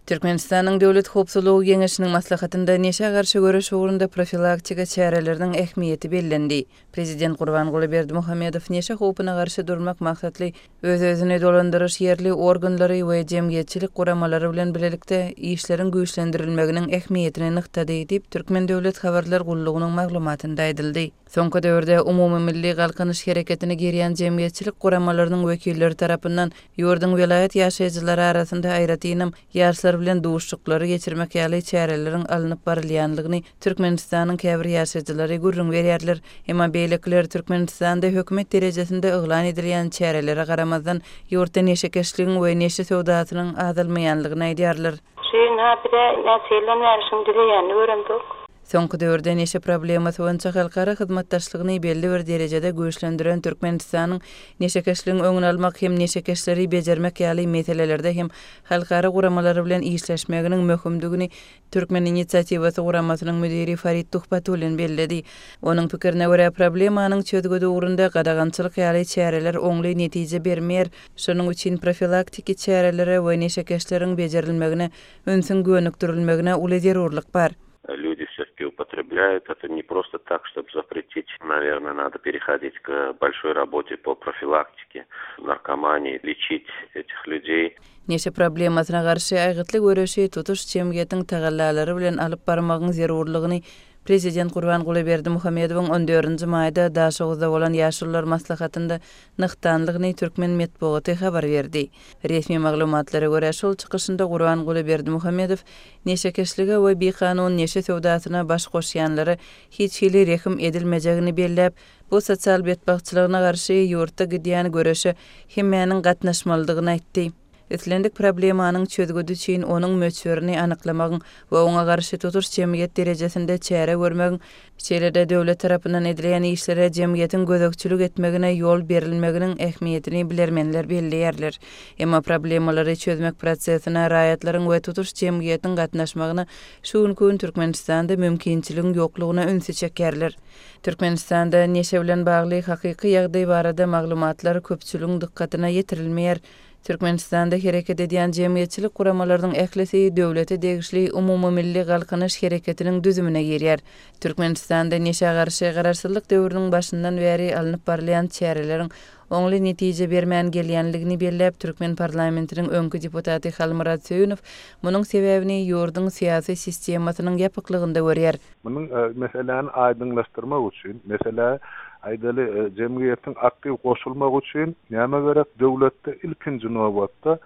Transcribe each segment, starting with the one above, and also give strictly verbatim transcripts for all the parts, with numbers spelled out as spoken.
Türkmenistanyň Döwlet howpsuzlygy geňeşiniň maslahatynda neşä garşy göreş ugrunda profilaktika çäreleriniň ähmiýeti bellendi. Prezident Gurbanguly Berdimuhamedow neşe howpuna garşy durmak maksatly öz-özüni dolandyryş ýerli organlary we jemgyýetçilik guramalary bilen birlikde işleriň güýçlendirilmeginiň ähmiýetini nygtady diýip, Türkmen döwlet habarlar gullugynyň maglumatynda aýdyldy. Soňky döwürde umumy milli galkynyş hereketine girýän jemgyýetçilik guramalarynyň wekilleri tarapyndan ýurduň welaýat ýaşaýjylary arasynda aýratynam ýaşlar bilen duşuşyklary geçirmek ýaly çäreleriň alnyp barylýanlygyny Türkmenistanyň käbir ýaşaýjylary gürrüň berýärler. Emma beýlekiler Türkmenistanda hökümet derejesinde yglan edilýän çärelere garamazdan ýurtda neşekeşligiň we neşe söwdasynyň azalmaýanlygyny aýdýarlar. Şeýin ha bir näçe bäri düzeýänini göremzok. Soňky döwürde neşe problemasy boýunça halkara hyzmatdaşlygyny belli bir derejede güýçlendiren Türkmenistanyň neşekeşligiň öňüni almak hem neşekeşleri bejermek ýaly meselelerde hem halkara guramalary bilen işleşmeginiň möhümdigini Türkmen inisiatiwasy guramasynyň müdiri Farid Tuhbatullin belledi. Onuň pikirine görä problemanyň çözgüdi ugrunda gadagançylyk ýaly çäreler oňly netije bermeýär. Şonuň üçin profilaktiki çärelere we neşekeşleriň bejerilmegine ünsüň gönükdirilmegine uly zerurlyk bar. Люди все-таки употребляют. Это не просто так, чтобы запретить. Наверное, надо переходить к большой работе по профилактике наркомании, лечить этих людей. Neşe problemasyna garşy aýgytly göreşi tutuş jemgyýetiň tagallalary bilen alyp barmagyň zerurlygyny Prezident Gurbanguly Berdimuhamedowyň on dördünji maýda Daşoguzda bolan ýaşulular maslahatynda nygtanlygyny Türkmen metbugaty habar berdi. Resmi maglumatlara görä şol çykyşynda Gurbanguly Berdimuhamedow neşekeşlige we bikanun neşe söwdasyna baş goşýanlara hiç hili rehim edilmejegini belläp, bu sosial betbagtçylygyna garşy ýurtda gidýän göreşe hemmäniň gatnaşmalydygyny aýtdy. Islendik problemanyň çözgüdi üçin onuň möçberini anyklamagyň we oňa garşy tutuş jemgyýet derejesinde çäre görmegiň, şeýle-de döwlet tarapyndan edilýän işlere jemgyýetiň gözegçilik etmegine ýol berilmeginiň ähmiýetini bilermenler belleýärler. Emma problemalary çözmek prosesine raýatlaryň we tutuş jemgyýetiň gatnaşmagyna şu günki gün Türkmenistanda mümkinçiligiň ýoklugyna ünsi çekýärler. Türkmenistanda neşe bilen bagly hakyky ýagdaý barada maglumatlar köpçüligiň dykgatyna ýetirilmeýär. Türkmenistanda hereket edýän jemgyýetçilik guramalarynyň ählisi döwlete degişli umumy milli galkynyş hereketiniň düzümine girýär. Türkmenistanda neşä garşy garaşsyzlyk döwrüniň başyndan bäri alnyp barylýan çäreleriň oňly netije bermän gelýänligini belläp, Türkmen parlamentiniň öňki deputaty Halmyrat Söýünow munuň sebäbini ýurduň syýasy sistemasynyň ýapyklygynda görýär. Munuň meseläni aýdyňlaşdyrmak üçin, mesele aýdaly jemgyýetiň aktiw goşulmagy üçin näme gerek? Döwletde ilkinji nobatda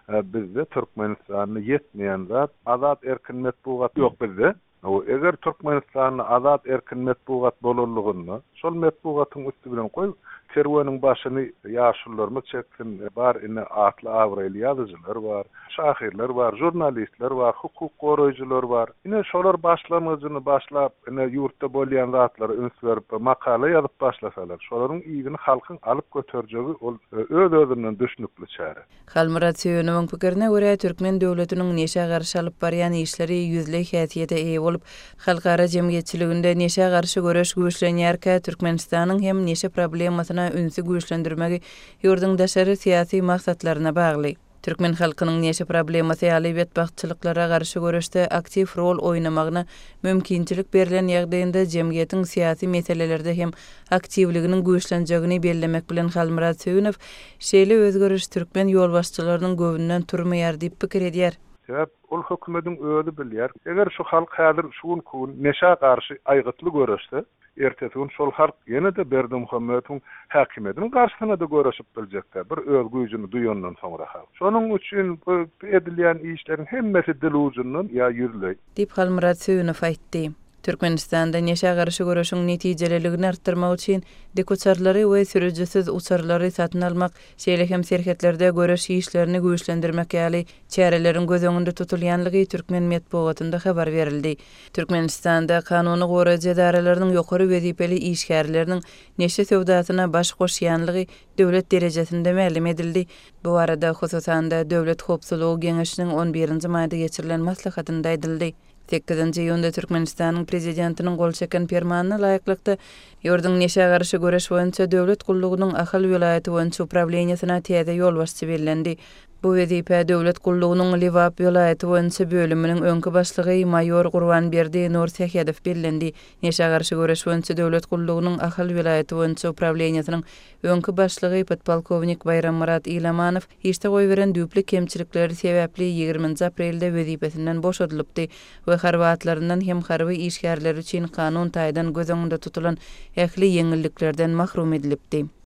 bizde Türkmenistanda ýetmeýän zat azat erkin metbugat ýok bizde. O eger Türkmenistanda azat erkin metbugat bolanlygynda, şol metbugatyň üstü bilen goý kerweniň başyny ýaşulularymyz çeksin, bar ine atly abraýly ýazyjylar bar, şahyrlar bar, jurnalistler bar, hukuk goraýjylar bar. Ine şolar başlangyjyny başlap, ine ýurtda bolýan zatlara üns berip, makala ýazyp başlasalar, şolaryň iyini halkyň alyp göterjegi ol öz-özünden düşnükli çäre. Halmyrat Söýünowyň pikirine görä, Türkmen döwletiniň neşä garşy alyp barýan işleri ýüzleý häsiýete eýe bolup, halkara jemgyýetçiliginde neşä garşy göreş güýçlenýärkä, Türkmenistanyň hem neşe problemasyna ünsi güýçlendirmegi ýurduň daşary syýasy maksatlaryna bagly. Türkmen halkynyň neşe problemasy ýaly betbagtçylyklara garşy göreşde aktiw rol oýnamagyna mümkinçilik berlen ýagdaýynda jemgyýetiň syýasy meselelerde hem aktiwliginiň güýçlenjegini bellemek bilen Halmyrat Söýünow şeýle özgeriş türkmen ýolbaşçylarynyň göwnünden turmaýar diýip pikir edýär. Sebäp ol hökümetiň özi bilýär. Eger şu halk häzir şu günki gün neşä garşy aýgytly göreşse, ertesi gün şol halk ýene-de Berdimuhamedowyň häkimiýetiniň garşysyna da göreşip biljekdi. Bir öz güýjüni duýandan soňra halk. Şonuň üçin bu edilýän işleriň hemmesi dil ucundan ýa ýüzleý. Diýip Halmyrat Söýünow aýtdy. Türkmenistanda neşä garşy göreşiň netijeliligini artdyrmak üçin dikuçarlary we sürüjisiz uçarlary satyn almak, şeýle hem serhetlerde göreş işlerini güýçlendirmek ýaly çäreleriň göz öňünde tutulýanlygy türkmen metbugatynda habar berildi. Türkmenistanda kanuny goraýjy edaralarynyň ýokary wezipeli işgärleriniň neşe söwdasyna baş goşýanlygy döwlet derejesinde mälim edildi. Bu arada hususan-da Döwlet howpsuzlygy geňeşiniň on birinji maýda geçirilen maslahatynda aýdyldy. Sekizinji iýunda Türkmenistanyň prezidentiniň gol çeken permanyna laýyklykda ýurduň neşä garşy göreş boýunça döwlet gullugynyň Ahal welaýaty boýunça uprawleniýesine täze ýolbaşçy bellendi. Bu wezipä döwlet gullugynyň Lebap welaýaty boýunça bölüminiň öňki başlygy maýor Gurbanberdi Nursähedow bellendi. Neşä garşy göreş boýunça döwlet gullugynyň Ahal welaýaty boýunça uprawleniýesiniň öňki başlygy podpolkownik Baýrammyrat Ilamanow işde goýberen düýpli kemçilikleri sebäpli ýigriminji aprelde wezipesinden boşadylypdy we harby atlaryndan hem harby işgärleri üçin kanun taýdan göz öňünde tutulan ähli ýeňilliklerden mahrum edilipdi.